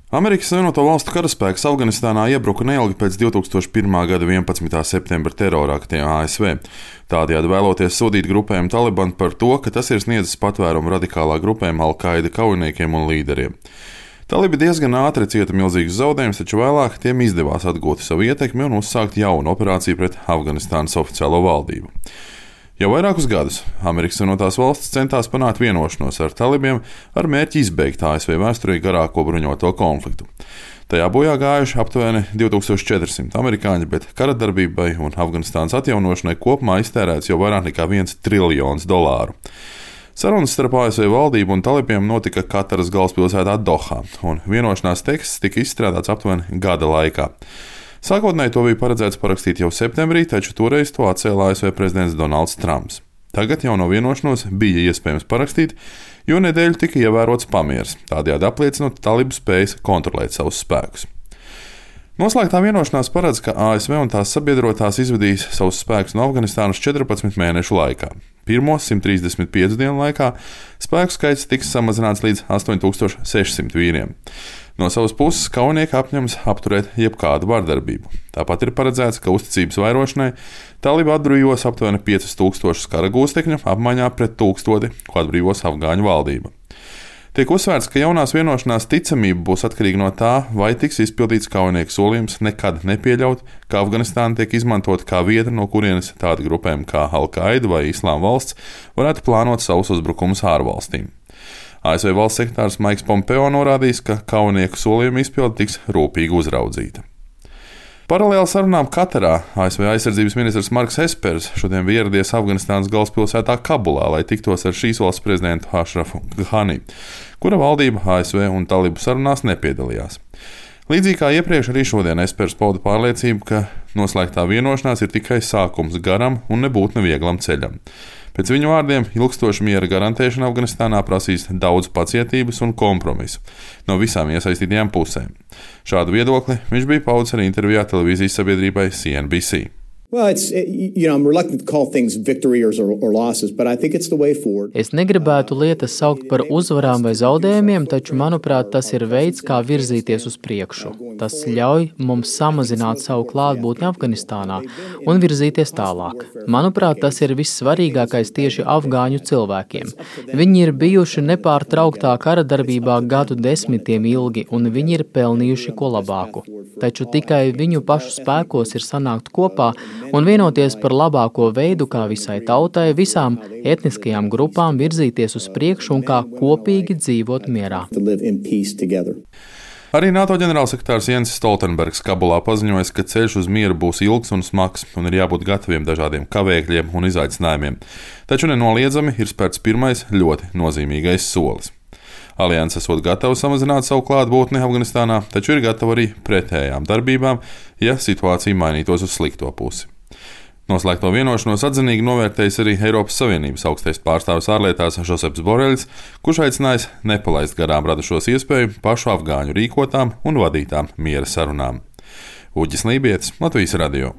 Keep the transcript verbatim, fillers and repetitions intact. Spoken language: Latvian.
Amerikas Savienoto Valstu karaspēks Afganistānā iebruka neilgi pēc divi tūkstoši pirmā gada vienpadsmitā septembra terroraktiem A S V. Tādējādi vēloties sodīt grupējumu Taliban par to, ka tas ir sniedzis patvērumu radikālā grupējuma Al-Qaida kaujiniekiem un līderiem. Talibi diezgan ātri cieta milzīgus zaudējumus, taču vēlāk tiem izdevās atgūt savu ietekmi un uzsākt jaunu operāciju pret Afganistānas oficiālo valdību. Jau vairākus gadus Amerikas Savienotās Valstis centās panākt vienošanos ar talibiem ar mērķi izbeigt A S V vēsturī garāko bruņoto konfliktu. Tajā bojā gājuši aptuveni divi tūkstoši četri simti amerikāņi, bet kara darbībai un Afganistānas atjaunošanai kopumā iztērēts jau vairāk nekā viens triljons dolāru. Sarunas starp A S V valdību un talibiem notika Kataras galvaspilsētā Dohā, un vienošanās teksts tika izstrādāts aptuveni gada laikā. Sākotnēji to bija paredzēts parakstīt jau septembrī, taču toreiz to atcēla A S V prezidents Donalds Trumps. Tagad jauno vienošanos bija iespējams parakstīt, jo nedēļu tika ievērots pamieris, tādējādi apliecinot talibu spējas kontrolēt savus spēkus. Noslēgtā vienošanās paredz, ka A S V un tās sabiedrotās izvedīs savus spēkus no Afganistānas četrpadsmit mēnešu laikā. Pirmo simt trīsdesmit piecu dienu laikā spēku skaits tiks samazināts līdz astoņi tūkstoši seši simti vīriem. No savas puses kaujinieki apņemas apturēt jebkādu vardarbību. Tāpat ir paredzēts, ka uzticības vairošanai talibi atbrīvos aptuveni piecus tūkstošus kara gūstekņu apmaiņā pret tūkstoti, ko atbrīvos afgāņu valdība. Tiek uzsvērts, ka jaunās vienošanās ticamība būs atkarīga no tā, vai tiks izpildīts kaujinieku solījums nekad nepieļaut, ka Afganistāna tiek izmantota kā vieta, no kurienes tādi grupējumi kā Al-Qaida vai Islāma valsts varētu plānot savus uzbrukumus ārvalstīm. A S V valsts sekretārs Maiks Pompeo norādījis, ka kaujinieku solījuma izpilde tiks rūpīgi uzraudzīta. Paralēli sarunām Katarā A S V aizsardzības ministrs Marks Espers šodien bija ieradies Afganistānas galvaspilsētā Kabulā, lai tiktos ar šīs valsts prezidentu Ašrafu Ghani, kura valdība A S V un talibu sarunās nepiedalījās. Līdzīgi kā iepriekš, arī šodien Espers pauda pārliecību, ka noslēgtā vienošanās ir tikai sākums garam un nebūtu nevieglam ceļam. Pēc viņu vārdiem, ilgstoša miera garantēšana Afganistānā prasīs daudz pacietības un kompromisu no visām iesaistītajām pusēm. Šādu viedokli viņš bija paudis arī intervijā televīzijas sabiedrībai C N B C. Well, it's, you know, I'm reluctant to call things victories or, or losses, but I think it's the way forward. Es negribētu lietas saukt par uzvarām vai zaudējumiem, taču, manuprāt, tas ir veids, kā virzīties uz priekšu. Tas ļauj mums samazināt savu klātbūtni Afganistānā un virzīties tālāk. Manuprāt, tas ir vissvarīgākais tieši afgāņu cilvēkiem. Viņi ir bijuši nepārtrauktā kara darbībā gadu desmitiem ilgi, un viņi ir pelnījuši ko labāku. Taču tikai viņu pašu spēkos ir sanākt kopā un vienoties par labāko veidu, kā visai tautai, visām etniskajām grupām virzīties uz priekšu un kā kopīgi dzīvot mierā. Arī NATO ģenerālsekretārs Jens Stoltenbergs Kabulā paziņoja, ka ceļš uz mieru būs ilgs un smags un ir jābūt gataviem dažādiem kavēkļiem un izaicinājumiem. Taču nenoliedzami ir spērts pirmais ļoti nozīmīgais solis. Alianse esot gatava samazināt savu klātbūtni Afganistānā, taču ir gatava arī pretējām darbībām, ja situācija mainītos uz slikto pusi. Noslēgto vienošanos atzinīgi novērtējis arī Eiropas Savienības augstais pārstāvis ārlietās Žoseps Boreļs, kurš aicinājis nepalaist garām radušos iespēju pašu afgāņu rīkotām un vadītām miera sarunām. Uģis Lībietis, Latvijas radio.